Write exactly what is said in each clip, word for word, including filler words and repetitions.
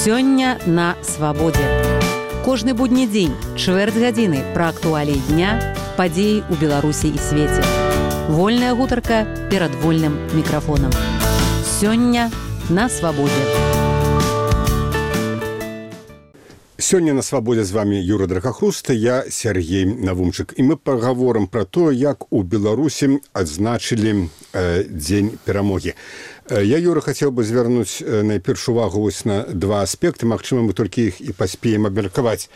Сёння на свабодзе. Кожны будні дзень, чвэрць гадзіны пра актуаліі дня, падзеі ў Беларусі і свеце. Вольная гутарка перад вольным мікрафонам. Сёння на свабодзе. Сёння на свабодзе з вами Юра Дракахруста, я Сергей Навумчык. І мы пагаворым пра тое, як у Беларусі адзначылі э, дзень перамогі. Э, я, Юра, хацеў бы звярнуць э, найперш увагу вось на два аспекты, магчыма, мы толькі іх і паспеем абмеркаваць.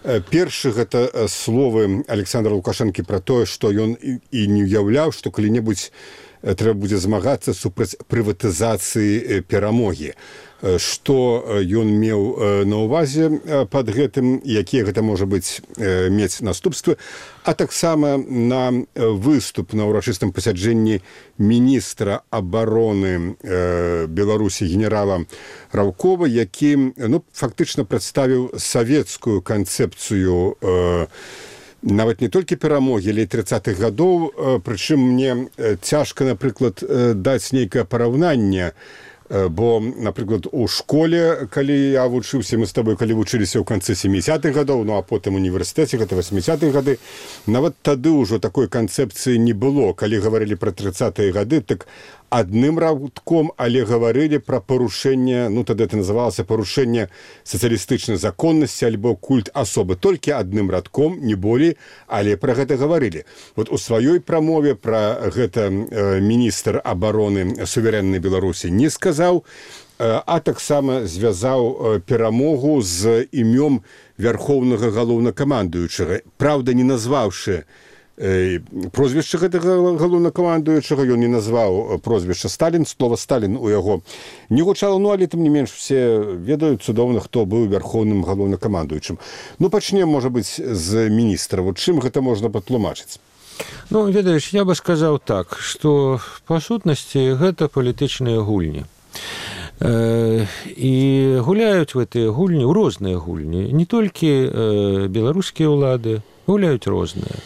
Э, першы гэта э, словы Александра Лукашэнкі пра тое, што ён і, і не ўяўляў, што калі-небудзь э, трэба будзе змагацца супраць прыватызацыі э, перамогі. Што ён меў на ўвазе пад гэтым, якія гэта можа быць мець наступствы, а таксама на выступ на ўрачыстым пасяджэнні міністра абароны Беларусі генерала Раўкова, які ну, фактычна прадставіў савецкую канцэпцыю нават не толькі перамогі, але і трыццатых гадоў, прычым мне цяжка, напрыклад, даць нейкае параўнанне. Бо, напрыклад, у школе, калі я вучыўся, мы з табой, калі вучыліся ў канцы сямідзесятых гадоў, ну а потым універсітэце, гэта васьмідзесятыя гады, нават тады ўжо такой канцэпцыі не было. Калі гаварылі пра трыццатыя гады, так адным радком, але гаварылі пра парушэнне, ну тады это называлася парушэнне сацыялістычнай законнасці альбо культ асобы. Толькі адным радком, не болей, але пра гэта гаварылі. Вот у сваёй прамове пра гэта э, міністр абароны суверэннай Беларусі не сказаў, э, а таксама звязаў э, перамогу з імём вярхоўнага галоўнакамандуючага. Праўда, не назваўшы прозвішча гэтага галоўнакамандуючага, ён не назваў прозвішча Сталін, слова Сталін у яго не гучала, ну але тым не менш все ведаюць цудоўна, хто быў вярхоўным галоўнакамандуючым. Ну пачнем, можа быць, з міністра. Вот чым гэта можна патлумачыць? Ну, ведаеш, я бы сказаў так, што па сутнасці гэта палітычныя гульні. І гуляюць в гэтыя гульні, у розныя гульні, не толькі беларускія ўлады, гуляюць розныя.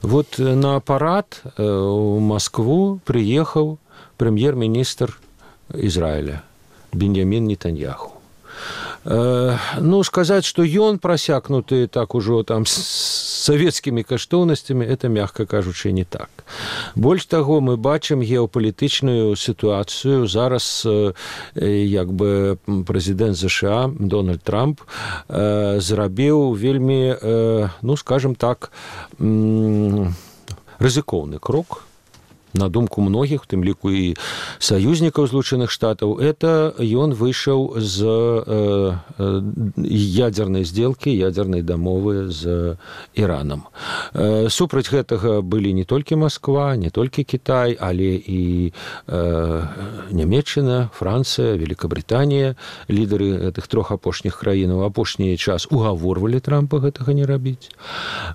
Вот на парад у Москву приехаў прэм'ер-міністр Ізраіля Беньямін Нетаньяху. Ну, сказаць, што ён прасякнуты так ужо там з савецкімі каштоўнасцямі, это, мягка кажучы, не так. Больш таго, мы бачым геапалітычную сітуацыю. Зараз як бы прэзідэнт ЗША Дональд Трамп зрабіў вельмі, ну, скажем так, рызыкоўны крок. На думку многіх, у тым ліку і саюзнікаў Злучаных Штатаў, это ён выйшаў з э, ядзернай здзелкі, ядзернай дамовы з Іранам. Э, супраць гэтага былі не толькі Масква, не толькі Кітай, але і э, Нямецчына, Францыя, Великабрытанія, лідары гэтых трох апошніх краінаў апошні час угаворвалі Трампа гэтага не рабіць.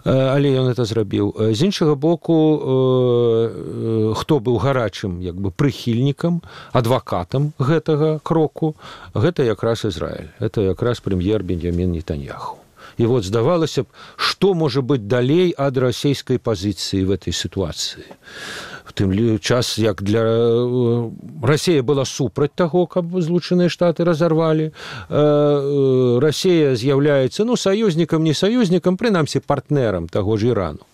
Э, але ён это зрабіў. З іншага боку, э, хто быў гарачым як бы прыхільнікам, адвакатам гэтага кроку, гэта якраз Ізраіль. Это якраз прэм'ер Беньямін Нетаньяху. І вот здавалася б, што можа быць далей ад расійскай пазіцыі в этой сітуацыі. В тым час, як для Расія была супраць таго, каб Злучаныя Штаты разарвалі, Расія з'яўляецца, ну, саюзнікам, не саюзнікам, прынамсі партнерам таго ж Ірану.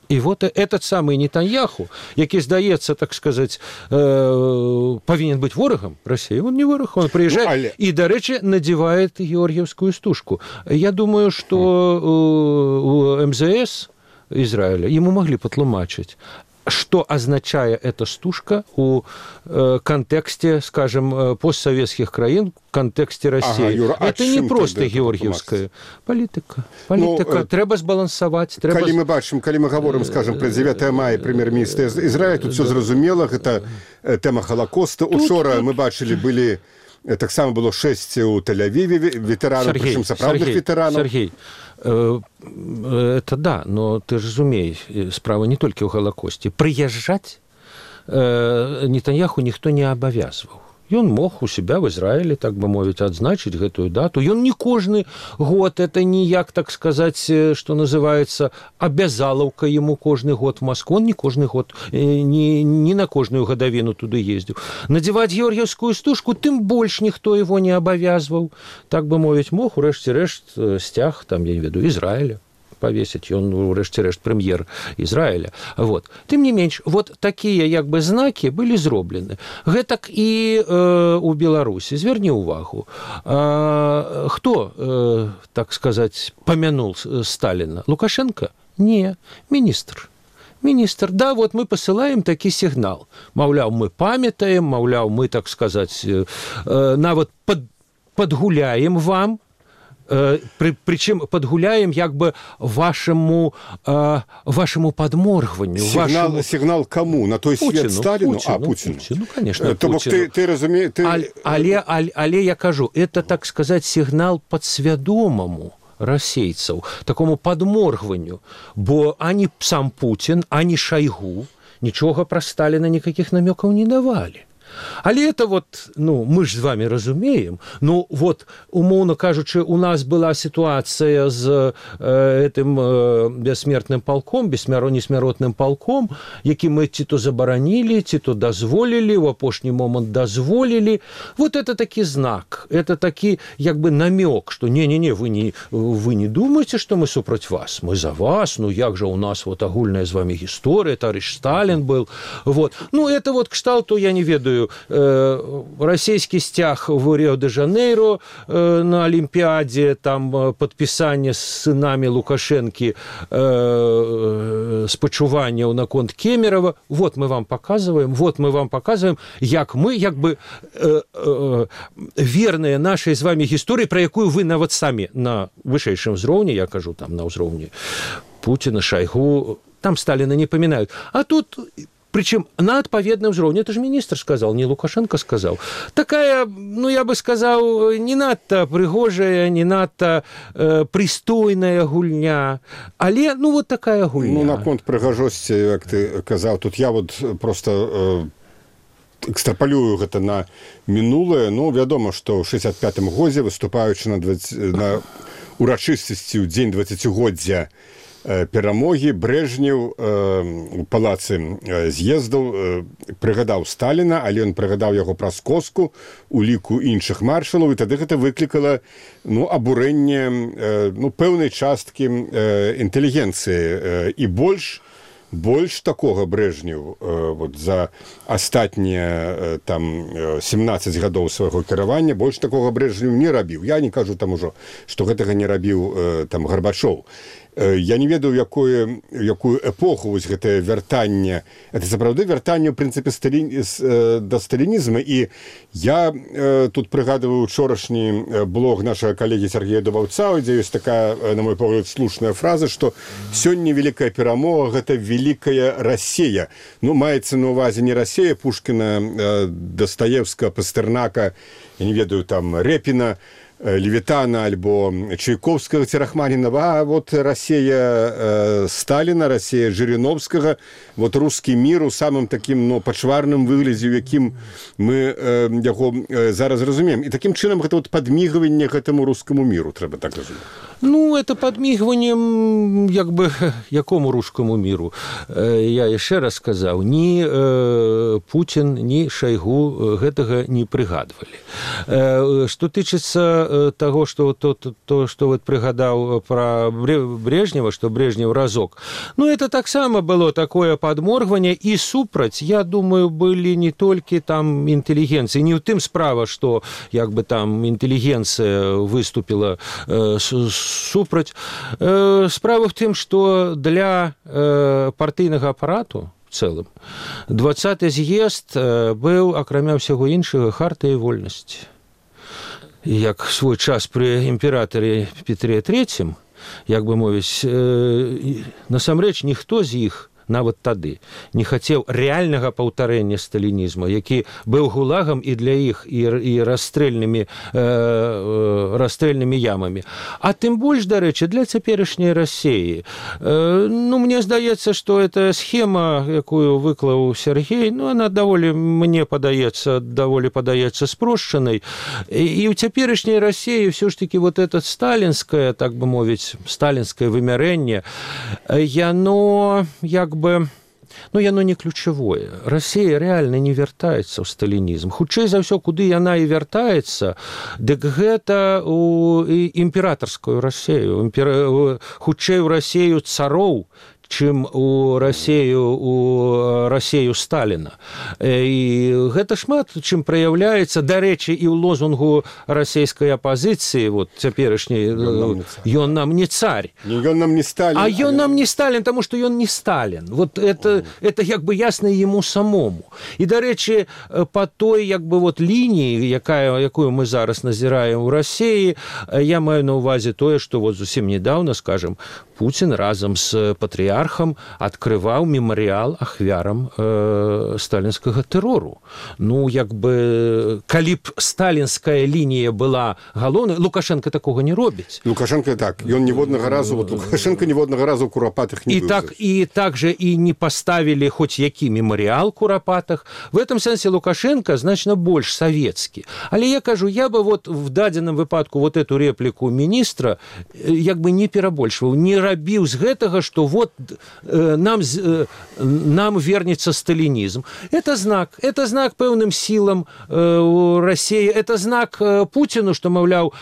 І вот этот самый Нетаньяху, які, здаецца, так сказаць, э, павінен быць ворагам Расіі, он не вораг, он прыязджае ну, але... і, дарэчы, надзевает георгіевскую стужку. Я думаю, што у эм зэ эс Ізраіля ему могли патлумачыць, что означае эта стужка у э, контексте, скажем, постсоветских краін, в контексте России. Ага, Юра, это не просто георгиевская политика. Политика. Ну, трэба збалансаваць. Трэба... Калі мы бачым, калі мы гаворым, скажем, про дзевятае мая, прэм'ер-міністр Ізраіля, тут все зразумела, гэта тэма Холокоста. Учора тут... мы бачылі, былі, таксама было шэсць у Тель-Авіве ветэранаў, прычым сапраўдных ветэранаў. Сергей, это да, но ты ж разумей, справа не толькі ў Галакосце. Прыязджаць Нетаньяху ніхто не абавязваў. Ён мог у себя в Израиле, так бы мовіць, адзначыць гэтую дату. Ён не кожны год, это ніяк, так сказаць, что называется, абязалаўка ему кожны год в Москву. Он не кожны год, не, не на кожную гадавіну туды ездзіў. Надзяваць георгіевскую стужку, тым больш ніхто его не абавязваў. Так бы мовіць, мог, урэшце рэшт, сцяг, там, я не веду, Израиля повесить, он, урэшце-рэшт, прэм'ер Израиля. Вот. Тым не менш, вот такія, як бы, знакі былі зроблены. Гэтак і э, у Беларусі. Зверні ўвагу. Э, хто, э, так сказаць, памянул Сталина? Лукашенко? Не, міністр. Міністр, да, вот мы посылаем такі сігнал. Маўляў, мы памятаем, маўляў, мы, так сказаць, э, нават пад, падгуляем вам, При, причем подгуляем як бы вашему, э, вашему подморгиванию. Сигнал, вашему... сигнал кому? На той Путину, свет Сталину? Путину, а, Путину. Путину, конечно, То Путину. Ты, ты разумеешь... Ты... Але, але, але, але я кажу, это, так сказать, сигнал подсвядомому расейцаў, такому подморгиванию, бо ані сам Путин, ані Шойгу нічога про Сталина никаких намеков не давали. Але это вот, ну, мы ж з вами разумеем, ну, вот, умоўно кажучы, у нас была ситуация з э, этим э, бессмертным полком, бессмяротным полком, які мы ці то забаранили, ці то дозволили, в апошні момент дозволили. Вот это таки знак, это таки, як бы, намек, что не-не-не, вы не, вы не думаете, что мы супроть вас, мы за вас, ну, як же у нас вот агульная з вами история, товарищ Сталин был, вот. Ну, это вот кшталту, я не ведаю, российский стяг в Рио-де-Жанейро на Олимпиаде, там подписание с сынами Лукашенки спачуванняў наконт Кемерова. Вот мы вам показываем, вот мы вам показываем, як мы, як бы верные нашей з вами гісторыі, про якую вы нават самі на вышэйшым узроўні, я кажу, там на ўзроўні Путина, Шойгу, там Сталина не поминают. А тут... Причем на отповедном уровне, это же министр сказал, не Лукашенко сказал. Такая, ну, я бы сказал, не надто пригожая, не надто э, пристойная гульня, але, ну, вот такая гульня. Ну, наконт пригожости, як ты казал, тут я вот просто э, экстраполюю гэта на мінулае. Ну, вядома, што ў шэсцьдзесят пятым годзе, выступаючы на, на урачыстасці ў дзень дваццацігоддзя перамогі, Брежнев у палацы з'ездаў прыгадаў Сталіна, але ён прыгадаў яго праз коску у ліку іншых маршалаў, і тады гэта выклікала, ну, абурэнне, ну, пэўнай часткі інтэлігенцыі. І больш больш такога Брежнев вот за астатнія там семнадцаць гадоў свайго кіравання, больш такога Брежнев не рабіў. Я не кажу там ужо, што гэтага не рабіў там Гарбачоў. Я не ведаю, якую, якую эпоху вось гэтае вяртанне. Это сапраўды вяртанне, ў прынцыпе, сталі... да сталінізму. І я э, тут прыгадываю учорашні блог нашага калегі Сергея Дубаўца, дзе ёсць такая, на мой погляд, слушная фраза, што сёння великая перамога – гэта великая Россия. Ну, маецца на увазе не Россия Пушкина, э, Достоевского, Пастернака, я не ведаю, там, Репина, Левитана альбо Чайковского, Рахманинова, а вот Россия э, Сталина, Россия Жириновского, вот русский мир у самым таким, ну, пачварным выглядзе, у якім мы э, яго э, зараз разумеем. І таким чынам гэта вот падмігванне гэтаму рускаму миру, трэба так разумець. Ну, это подмигиванием, як бы, якому русскому миру. Я еще раз сказал, ни э, Путин, ни Шойгу гэтага не пригадывали. Э, что тычыцца того, что, то, то, то, что вот пригадал про Брежнева, что Брежнев разок, ну, это так само было такое подморгивание, и супраць, я думаю, были не только там интеллигенции, не в тым справа, что, як бы, там интеллигенция выступила э, с супраць. Справа в тым, што для партыйнага апарату в цэлым двадцаты з'езд быў, акрамя ўсяго іншага, хартай вольнасці. Як свой час пры імператары Петре трэцім, як бы мовіць, насамрэч ніхто з іх нават тады не хацеў рэальнага паўтарэння сталінізму, які быў гулагам і для іх і, і расстрэльнымі, э, расстрэльнымі ямамі. А тым больш, дарэчы, для цяперашняй Расіі. Э, ну, мне здаецца, што эта схема, якую выклаў Сергей, ну, она даволі, мне падаецца, даволі падаецца спрошчанай. І, і ў цяперашняй Расіі ўсё ж таки вот это сталінскае, так бы мовіць, сталінскае вымярэнне, яно, як бы, ну, яно не ключавое. Расія рэальна не вяртаецца ў сталінізм. Хутчэй за ўсё, куды яна і вяртаецца, дык гэта ў імператарскую Расію, імпер... хутчэй у Расію цароў, чым у Расію, у Расію Сталіна. І гэта шмат чым праяўляецца, дарэчы, і ў лозунгу расійскай апазіцыі, вот цяперашняй, ён нам не царь. Ён нам не Сталін. А ён нам не Сталін, таму што ён не Сталін. Вот это, это як бы ясна яму самому. І, дарэчы, па той як бы вот лініі, якая, якую мы зараз назіраем у Расіі, я маю на ўвазе тое, што вот зусім недавно, скажем, Путин разом с патриархом открывал мемориал ахвярам э, сталинского террору. Ну, як бы, калі б сталинская линия была галоўнай, Лукашенко такого не робіць. Лукашенко так, ён ніводнага разу, вот Лукашенко ніводнага разу у Курапатах не и был. Так, и также и не поставили хоть які мемориал Курапатах. В этом сенсе Лукашенко значно больш советский. Але я кажу, я бы вот в дадзеным выпадку вот эту реплику министра як бы не перабольшваў, не рабіў з гэтага, што вот э, нам, э, нам вернется сталинизм. Это знак. Это знак пэўным силам э, у России. Это знак э, Путину, что, маўляў,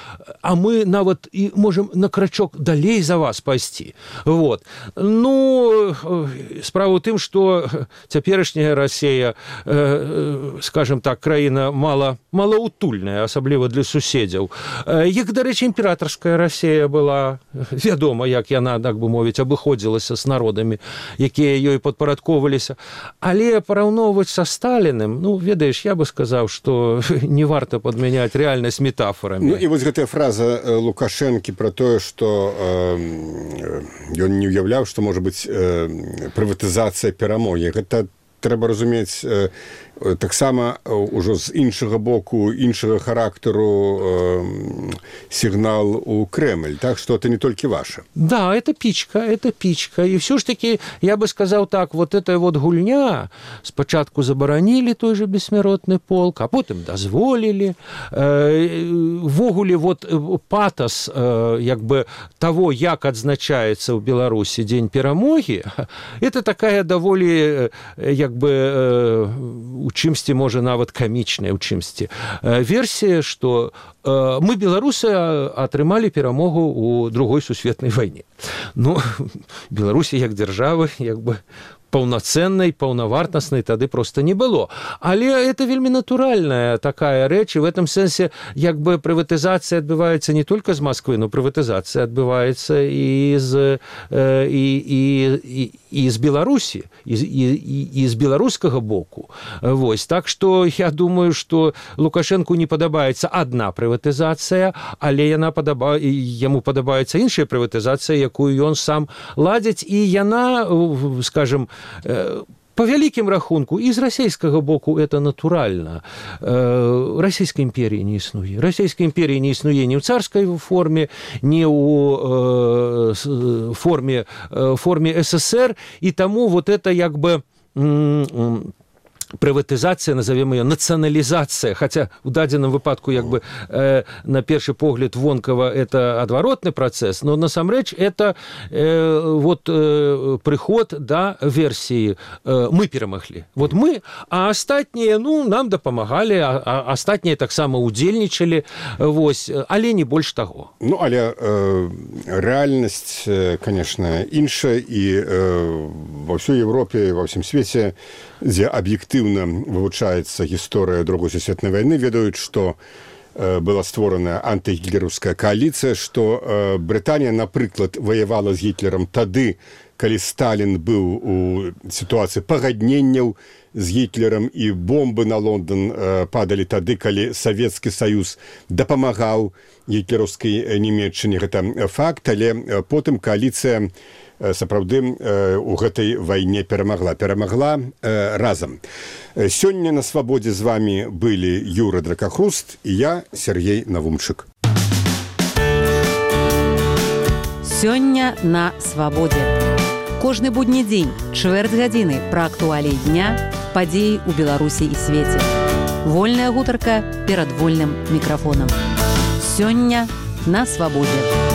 а мы нават и можем на крачок далей за вас пайсці. Вот. Ну, э, справа ў тым, што цяперашняя Россия, э, скажем так, краіна мала, малаутульная, асабліва для суседзяў. Э, як, дарэчы, імператорская Россия была, вядома, як яна, так бы мовіць, абыходзілася з народамі, якія ёй падпарадковваліся. Але параўноўваць са Сталіным, ну, ведаеш, я бы сказаў, што не варта падмяняць рэальнасць метафорамі. Ну, і вось гэтая фраза Лукашэнкі пра тое, што э, ён не ўяўляў, што можа быць э, прыватызацыя перамогі. Гэта трэба разумець э, таксама ўжо з іншага боку, іншага характару э, сігнал у Кремль, так что это не толькі ваше. Да, это пичка, это пичка. И все ж таки, я бы сказал так, вот эта вот гульня, спочатку забаранили той же бессмяротны полк, а потым дазволили. Э, ввогуле вот патас э, як бы того, як адзначаецца ў Беларусі дзень перамогі, это такая даволі як бы э, у чымсьці, можа, нават камічная ў чымсьці версія, што э, мы, беларусы, атрымалі перамогу ў другой сусветнай вайне. Ну, Беларусі як дзяржавы, як бы паўнацэннай, паўнавартаснай тады просто не было. Але это вельмі натуральная такая рэч, і в этом сэнсе як бы прыватызацыя адбываецца не только з Москвы, но прыватызацыя адбываецца і з, э, і, і, і, і з Беларусі, і, і, і з беларускага боку. Вось. Так што я думаю, што Лукашэнку не падабаецца адна прыватызацыя, але яна падаба... яму падабаецца іншая прыватызацыя, якую ён сам ладзіць, і яна, скажем, по вялікім рахунку, і з расійскага боку это натуральна. Расійскай імперіі не існуе. Расійскай імперіі не існуе ні ў царскай форме, ні ў форме, форме СССР, і таму вот это як бы прыватызацыя, назовем ее нацыяналізацыя, хотя у дадзеным выпадку як бы э, на першы погляд вонкава это адваротны працэс, но насамрэч это э, вот э, прыход да версіі э, мы перамаглі. Вот мы, а астатнія, ну, нам дапамагалі, а, а астатнія таксама удзельнічалі, вось, але не больш таго. Ну, але э, рэальнасць, конечно, іншая, і э, ва ўсёй Европе, ва ўсім свеце, дзе аб'ектыўна вывучаецца гісторыя другой сусветнай вайны, ведаюць, што э, была створана антыгітлераўская коаліцыя, што э, Брытанія, напрыклад, ваявала з Гітлерам тады, калі Сталін быў у сітуацыі пагадненняў з Гітлерам і бомбы на Лондон падалі тады, калі Савецкі Саюз дапамагаў гітлераўскай Нямецчыне. Гэта факт, але потым кааліцыя сапраўды у гэтай вайне перамагла. Перамагла разам. Сёння на свабодзе з вами былі Юра Дракахруст і я, Сергей Навумчык. Сёння на свабодзе. Кожны будні дзень, чвэрць гадзіны пра актуаліі дня, падзеі ў Беларусі і свеце. Вольная гутарка перад вольным мікрафонам. Сёння на свабодзе.